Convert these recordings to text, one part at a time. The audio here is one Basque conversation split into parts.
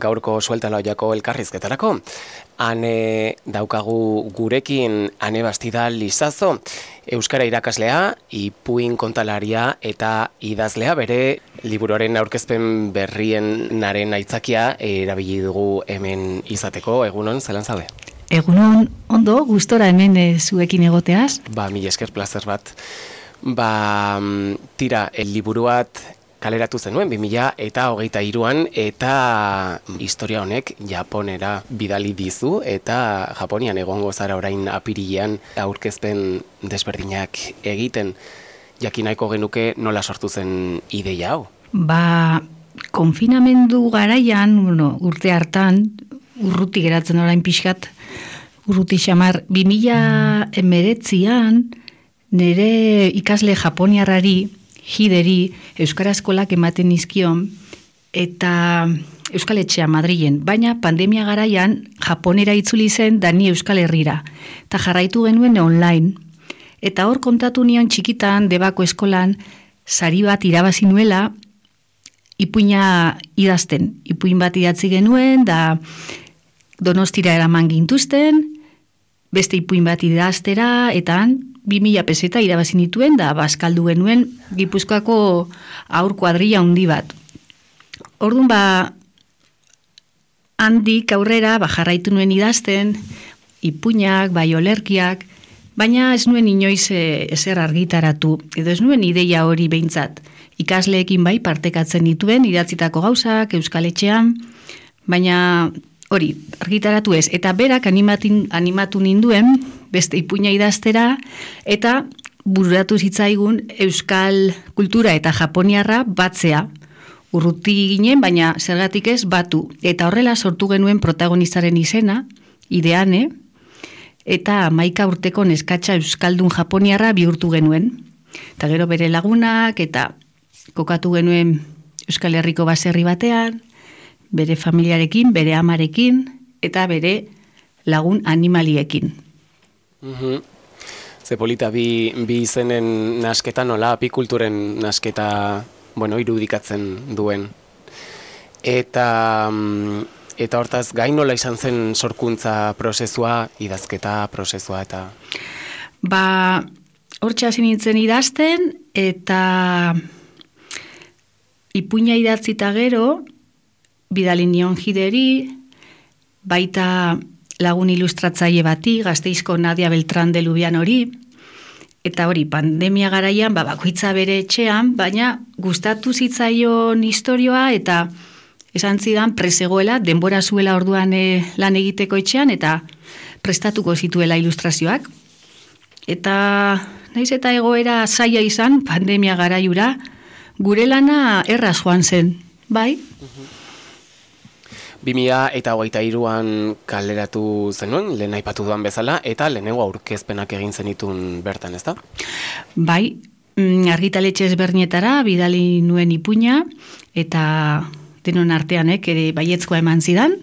Gaurko sueltaloiako elkarrizketarako. Ane daukagu gurekin Ane Bastida Lizazo, euskara irakaslea, ipuin kontalaria eta idazlea, bere liburuaren aurkezpen berrienaren aitzakia erabili dugu hemen izateko. Egunon, zelan zaude? Egunon, ondo, gustora hemen zuekin egoteaz. Mila esker, plazer bat. Tira, liburuat kaleratu zenuen 2023an eta historia honek Japonera bidali dizu eta Japonian egongo zara orain apirilean aurkezpen desberdinak egiten. Jakin nahiko genuke nola sortu zen ideia hau? Konfinamendu garaian, urte hartan, urruti geratzen orain pixkat, urruti xamar, 2019an nire ikasle japoniarrari, Hideri, Euskara Eskolak ematen nizkion, eta Euskal Etxea Madrilen, baina pandemia garaian Japonera itzuli zen da ni Euskal Herrira, eta jarraitu genuen online. Eta hor kontatu nion txikitan, Debako eskolan, sari bat irabazi nuela, ipuina idazten. Ipuin bat idatzi genuen, da Donostira eraman gintuzten, beste ipuin bat idaztera, eta 2000 peseta irabazi nituen, da bazkaldu genuen Gipuzkoako aur kuadrilla handi bat. Orduan handik aurrera jarraitu nuen idazten, ipuinak, bai olerkiak, baina ez nuen inoiz ezer argitaratu, edo ez nuen ideia hori behintzat. Ikasleekin bai partekatzen dituen, idatzitako gauzak, Euskal Etxean, baina hori, argitaratu ez. Eta berak animatu ninduen, beste ipuina idaztera, eta bururatu zitzaigun Euskal kultura eta Japoniarra batzea. Urruti ginen, baina zergatik ez batu. Eta horrela sortu genuen protagonistaren izena, Ideane, eta 11 urteko neskatxa Euskaldun Japoniarra bihurtu genuen. Eta gero bere lagunak, eta kokatu genuen Euskal Herriko baserri batean, bere familiarekin, bere amarekin, eta bere lagun animaliekin. Ze polita bi izenen nasketa nola, apikulturen nasketa, irudikatzen duen. Eta hortaz, gain nola izan zen sorkuntza prozesua, idazketa prozesua eta... Hortxe hasi nintzen idazten, eta ipuina idatzita gero, bidali nion Hideri, baita lagun ilustratzaile bati, Gasteizko Nadia Beltrán de Lubian hori, eta hori, pandemia garaian, bakoitza bere etxean, baina gustatu zitzaion historioa, eta esan zidan presegoela, denbora zuela orduan lan egiteko etxean, eta prestatuko zituela ilustrazioak. Eta naiz eta egoera zaila izan, pandemia garaiura, gure lana erraz joan zen, bai? 2023an kaleratu zenuen, lehen aipatu duan bezala, eta lehenengo aurkezpenak egin zenitun bertan, ezta? Bai, argitaletxe ezberdinetara bidali nuen ipuina, eta denon artean ere baiezkoa eman zidan,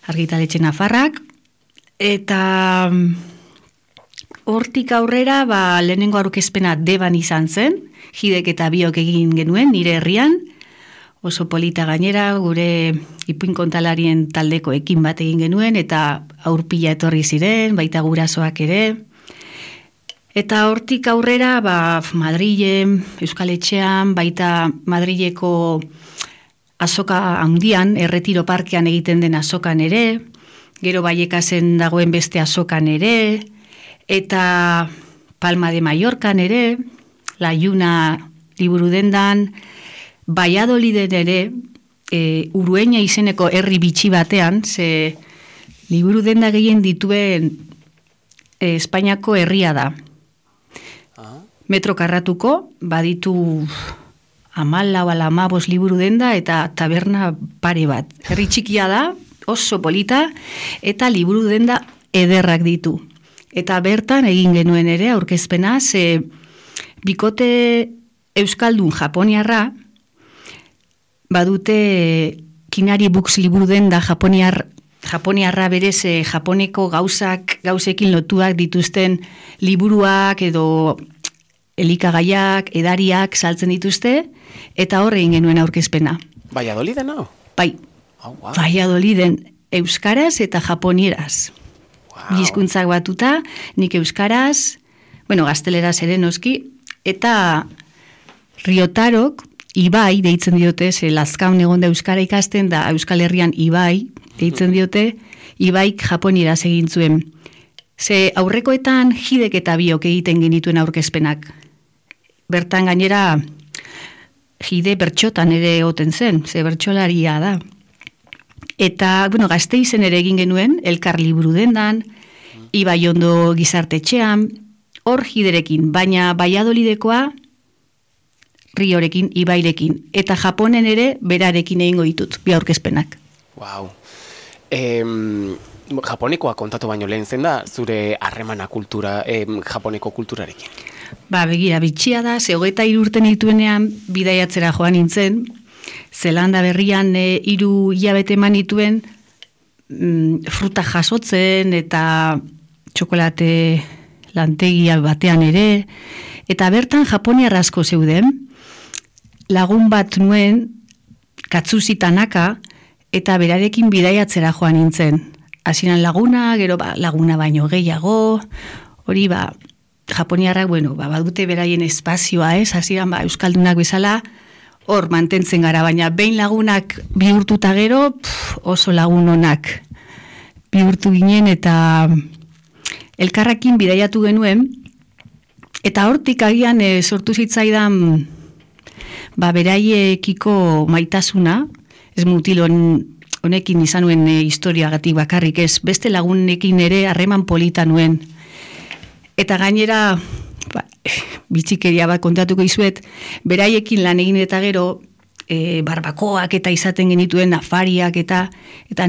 argitaletxe nafarrak, eta hortik aurrera lehenengo aurkezpena Deban izan zen, Hidek eta biok egin genuen, nire herrian, oso polita gainera, gure ipuin kontalarien taldeko ekin bat egin genuen, eta aurpila etorri ziren, baita gurasoak ere. Eta hortik aurrera, Madrilen, Euskal Etxean, baita Madrileko azoka handian, Erretiro Parkean egiten den azokan ere, gero Baiekasen dagoen beste azokan ere, eta Palma de Mallorcan ere, La Lluna liburu dendan, Valladoliden ere, Urueña izeneko herri bitxi batean, ze liburu denda gehien dituen Espainiako herria da. Metro karratuko, baditu 14 liburu denda eta taberna pare bat. Herri txikia da, oso polita, eta liburu denda ederrak ditu. Eta bertan egin genuen ere aurkezpena, ze bikote euskaldun japoniarra, badute Kinari Books liburu den da japoniarra berez japoneko gauzekin lotuak dituzten liburuak edo elikagaiak, edariak saltzen dituzte, eta horre egin genuen aurkezpena. Valladoliden, no? Bai, Wow. Valladoliden euskaraz eta japonieraz. Wow. Hizkuntzak batuta, nik euskaraz, gazteleraz ere noski, eta Riotarok, Ibai deitzen diote, ze Lazkaun egon da euskara ikasten, da Euskal Herrian Ibai deitzen diote, Ibaik japonieraz egin zuen. Ze aurrekoetan Hidek eta biok egiten genituen aurkezpenak. Bertan gainera Hide bertxotan ere egoten zen, ze bertxolaria da. Eta, Gasteizen ere egin genuen, Elkar liburu dendan, Ibai ondo gizartetxean, hor Hiderekin, baina Valladolidekoa Riorekin, Ibairekin, eta Japonen ere berarekin egingo ditut, bi aurkezpenak. Wow. Japonekoa kontatu baino lehen zen da, zure harremana kultura, japoneko kulturarekin? Begira, bitxia da, ze 23 urte nituenean bidaiatzera joan nintzen, Zelanda berrian 3 hilabete eman nituen fruta jasotzen eta txokolate lantegia batean ere, eta bertan japoniar asko zeuden, lagun bat nuen Katsushi Tanaka, eta berarekin bidaiatzera joan nintzen. Hasieran laguna, gero laguna baino gehiago, hori japoniarrak, badute beraien espazioa, hasieran euskaldunak bezala, hor mantentzen gara, baina behin lagunak bihurtuta gero, oso lagun onak bihurtu ginen, eta elkarrakin bidaiatu genuen, eta hortik agian sortu zitzaidan beraiekiko maitasuna, ez mutil honekin izan nuen historiagatik bakarrik ez, beste lagunekin ere harreman polita nuen. Eta gainera, bitxikeria bat kontatuko izuet, beraiekin lan egin eta gero, barbakoak eta izaten genituen afariak eta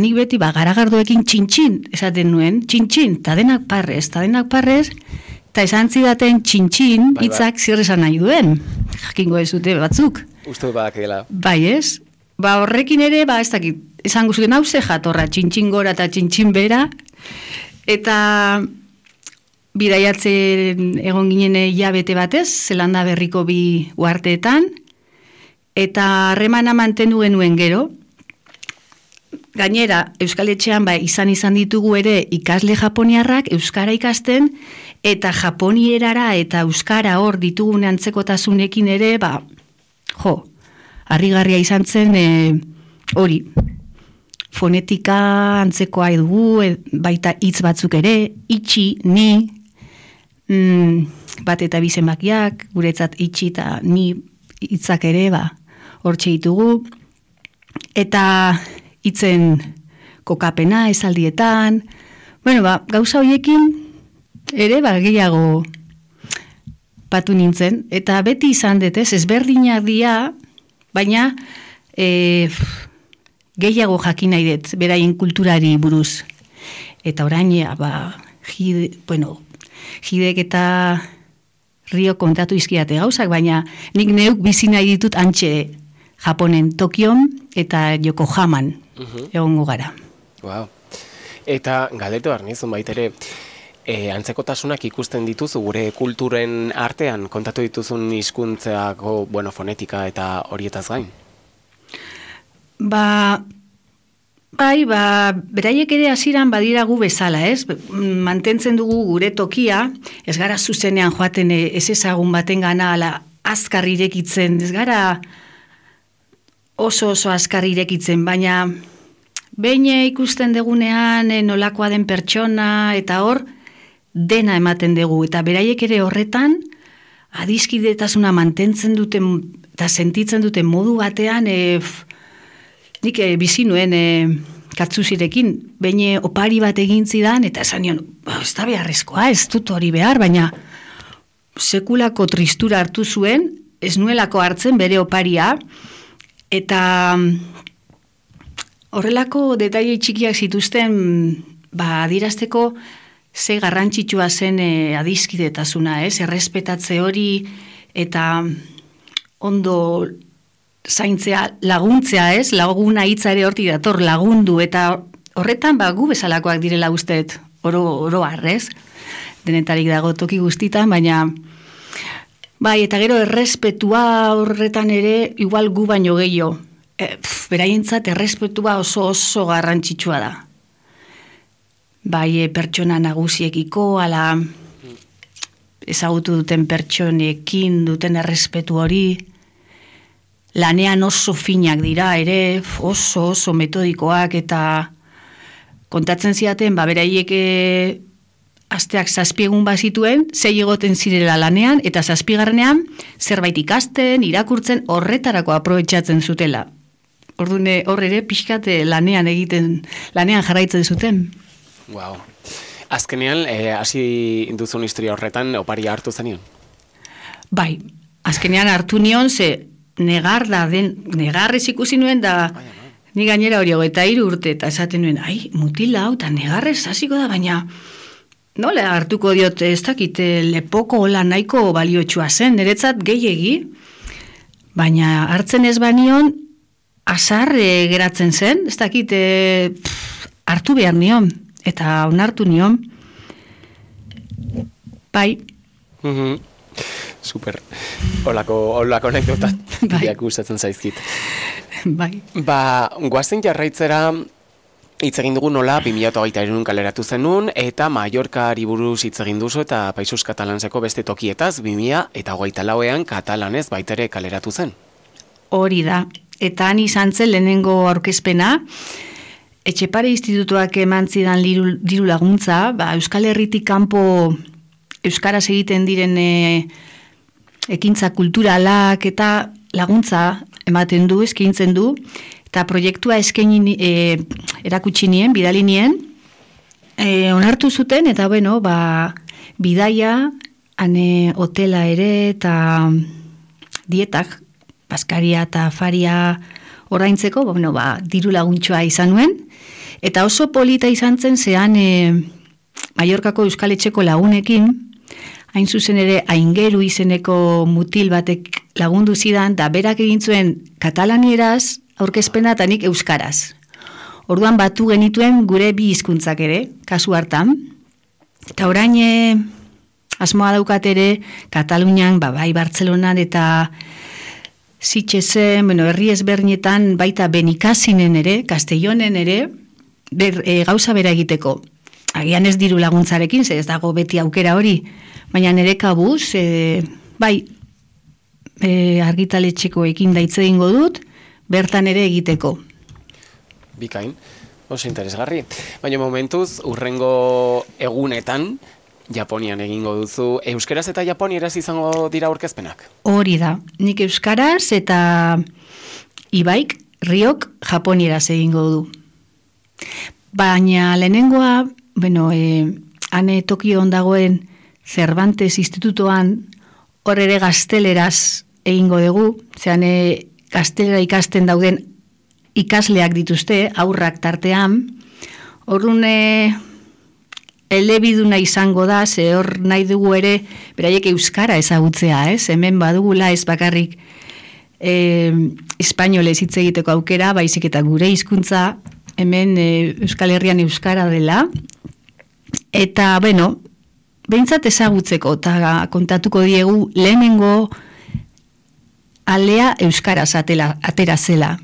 nik beti garagardoekin txintxin esaten nuen, txintxin, eta denak parrez, eta esan zidaten txintxin hitzak zer esan nahi duen, jakingo ez dute batzuk. Uste badak dela. Bai ez, horrekin ere, ez dakit, esan guztien hau ze jatorra, txintxin gora eta txintxin bera, eta bidaiatzen egon ginen hilabete batez, Zelanda berriko 2 uharteetan, eta harremana mantendu genuen gero. Gainera, Euskal Etxean izan ditugu ere ikasle japoniarrak euskara ikasten, eta japonierara eta euskara hor ditugun antzekotasunekin ere, harrigarria izan zen hori. Fonetika antzekoa dugu, baita hitz batzuk ere, itxi, ni, bat eta bi zenbakiak, guretzat itxi eta ni hitzak ere, hortxe ditugu, eta hitzen kokapena esaldietan, gauza horiekin ere gehiago batu nintzen, eta beti izan dut, ezberdinak dira, baina gehiago jakin nahi dut, beraien kulturari buruz. Eta orain, Hidek eta Rio kontatu izkiate gauzak, baina nik neuk bizi nahi ditut antxe Japonen, Tokion eta Yokohaman egongo gara. Wow. Eta galdetu arnizun baitere, antzekotasunak ikusten dituzu gure kulturen artean, kontatu dituzun hizkuntzako, fonetika eta horietaz gain? Beraiek ere hasieran badira gu bezala, ez? Mantentzen dugu gure tokia, ez gara zuzenean joaten ez ezagun baten gana ala azkar irekitzen, ez gara oso azkar irekitzen, baina behin ikusten degunean nolakoa den pertsona eta hor dena ematen dugu, eta beraiek ere horretan adiskidetasuna mantentzen duten eta sentitzen duten modu batean nik bizi nuen Katsusirekin, behin opari bat egin zidan, eta esan nion, ez da beharrezkoa, ez dut hori behar, baina sekulako tristura hartu zuen, ez nuelako hartzen bere oparia, eta horrelako detaile txikiak zituzten, adierazteko ze garrantzitsua zen adiskidetasuna, errespetatze hori, eta ondo zaintzea, laguntzea, ez? Laguna hitza ere hortik dator, lagundu, eta horretan gu bezalakoak direla usteet, oro harrez, denetarik dago toki guztitan, baina bai, eta gero errespetua horretan ere, igual gu baino gehiago. Beraientzat errespetua oso garrantzitsua da. Bai, pertsona nagusiekiko, ala ezagutu duten pertsonekin duten errespetu hori, lanean oso finak dira ere, oso metodikoak, eta kontatzen ziaten, beraiek asteak 7 egun bazituen, 6 egoten zirela lanean, eta 7. zerbait ikasten, irakurtzen, horretarako aprobetxatzen zutela. Orduan hor ere pixkat lanean jarraitzen zuten. Wow. Azkenean, hasi duzun historia horretan, oparia hartu zenion? Bai, azkenean hartu nion, ze negarrez ikusi nuen da, ni gainera hori 23 urte, eta esaten nuen, mutila hau, eta negarrez hasiko da, baina nola hartuko diot, ez dakit, lepoko hola nahiko baliotsua zen, niretzat gehiegi, baina hartzen ez banion, azar geratzen zen, ez dakit, hartu behar nion, eta onartu nion. Bai. Super. Olako anekdota biak gustatzen zaizkit. Bai. Goazen jarraitzera hitz egin dugu nola 2023 kaleratu zenun, eta Mallorcari buruz hitz egin duzu eta Països Catalanseko beste tokietaz 2024ean katalanez baitere kaleratu zen. Hori da. Eta han izan zen lehenengo aurkezpena, Etxepare Institutuak eman zidan diru laguntza, Euskal Herritik kanpo euskaraz egiten diren ekintza kulturalak eta laguntza ematen du, eskaintzen du, eta proiektua erakutsi nien, bidali nien, onartu zuten, eta bidaia, hotela ere, eta dietak, baskaria eta afaria oraintzeko, diru laguntxoa izan nuen, eta oso polita izan zen zean Mallorcako Euskal Etxeko lagunekin, hain zuzen ere Aingeru izeneko mutil batek lagundu zidan, da berak egin zuen katalanieraz aurkezpena eta nik euskaraz. Orduan batu genituen gure bi hizkuntzak ere, kasu hartan, eta orain asmoa daukat ere Katalunian, bai Bartzelonan eta Sitxesen, herri ezberdinetan baita Benikasinen ere, Castellonen ere, gauza bera egiteko. Agian ez diru laguntzarekin, ez dago beti aukera hori, baina nire kabuz, argitaletxekoekin daitze egingo dut, bertan ere egiteko. Bikain, oso interesgarri. Baina momentuz, urrengo egunetan, Japonian egingo duzu. Euskaraz eta japonieraz izango dira aurkezpenak? Hori da. Nik euskaraz eta Ibaik, Riok, japonieraz egingo du. Baina lehenengoa, hane Tokion dagoen Cervantes Institutoan, hor ere gazteleraz egingo dugu, zean gaztelera ikasten dauden ikasleak dituzte, aurrak tartean, horrun elebiduna izango da, ze hor nahi dugu ere, beraiek euskara ezagutzea, hemen badugula ez bakarrik espainolez hitz egiteko aukera, baizik eta gure hizkuntza hemen Euskal Herrian euskara dela, eta, behintzat ezagutzeko, eta kontatuko diegu lehenengo alea euskaraz atera zela,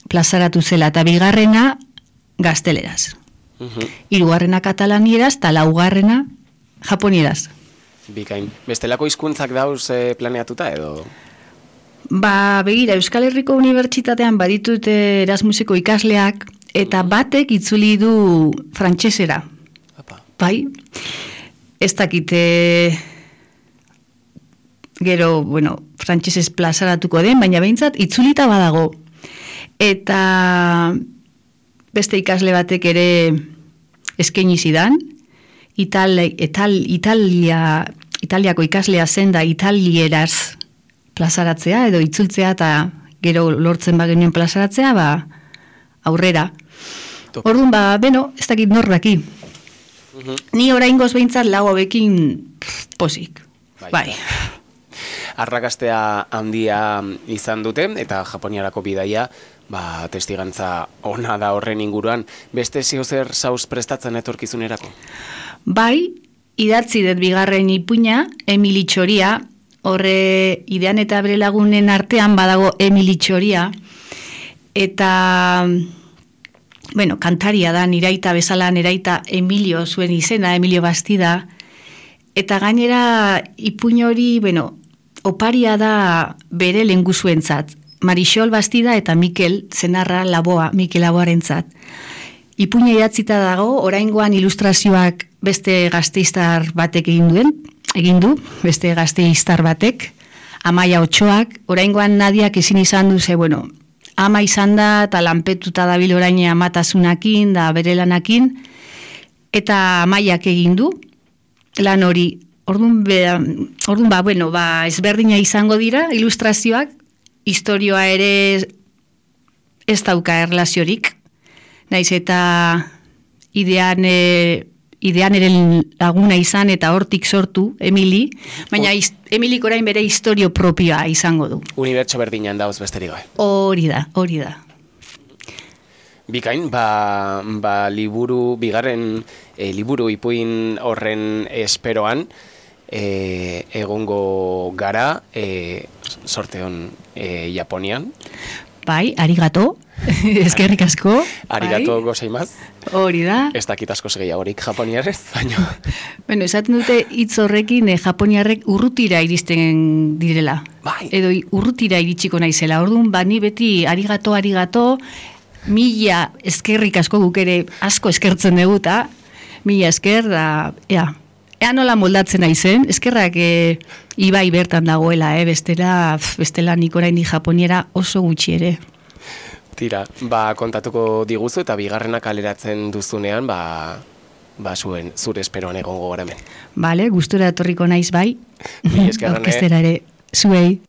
plazaratu zela, eta bigarrena gazteleraz. Hirugarrena katalanieraz, eta laugarrena japonieraz. Bikain. Bestelako hizkuntzak dauz planeatuta edo? Begira, Euskal Herriko Unibertsitatean baditut Erasmuseko ikasleak, eta batek itzuli du frantsesera. Bai, ez dakite gero, frantsesez plazaratuko den, baina behintzat itzulita badago. Eta beste ikasle batek ere eskaini zidan, Italiako ikaslea zen da italieraz plazaratzea, edo itzultzea, eta gero lortzen bagenuen plazaratzea, aurrera. Orduan, ez dakit nordaki. Ni oraingoz behintzat lau hobekin posik. Bai. arrakastea handia izan dute, eta Japoniarako bidaia, testigantza ona da horren inguruan. Beste zer saus prestatzen etorkizunerako? Bai, idatzi dut bigarren ipuina, Emili Txoria, horre Idean eta bere lagunen artean badago Emili Txoria, eta, kantaria da, niraita bezala, niraita Emilio zuen izena, Emilio Bastida, eta gainera ipuin hori, oparia da bere lenguzuentzat, Marixol Bastida eta Mikel Zenarra Laboa, Mikel Laboarentzat. Ipuina idatzita dago, oraingoan ilustrazioak beste gazteiztar batek egin du, beste gazteiztar batek, Amaia Otxoak, oraingoan Nadiak ezin izan du, ama izan da, eta lanpetuta dabil orain amatasunakin, da bere lanakin, eta Amaiak egin du, lan hori, orduan ezberdina izango dira, ilustrazioak, historioa ere ez dauka erlaziorik, naiz eta idean ere laguna izan eta hortik sortu Emili, baina Emilik orain bere historio propioa izango du. Unibertso berdinan dauz besterik gabe. Hori da. Bikain, bigarren liburu ipuin horren esperoan, egongo gara, sorteon Japonian. Bai, arigato, eskerrik asko. Arigato gozaimaz. Hori da. Ez dakit asko gehiagorik japoniarrez, baina. Esaten dute hitz horrekin japoniarrek urrutira iristen direla. Bai. Edo urrutira iritsiko naizela. Orduan, ni beti arigato, mila eskerrik asko guk ere asko eskertzen dugu, mila esker da, ea nola moldatzen naizen, eskerrak ibai bertan dagoela, bestela nik oraindik japoniera oso gutxi ere. Tira, kontatuko diguzu eta bigarrena kaleratzen duzunean, zure esperoan egongo gara hemen. Bale, gustura etorriko naiz bai. Eskerrane. Aurkeztera ere, zuei.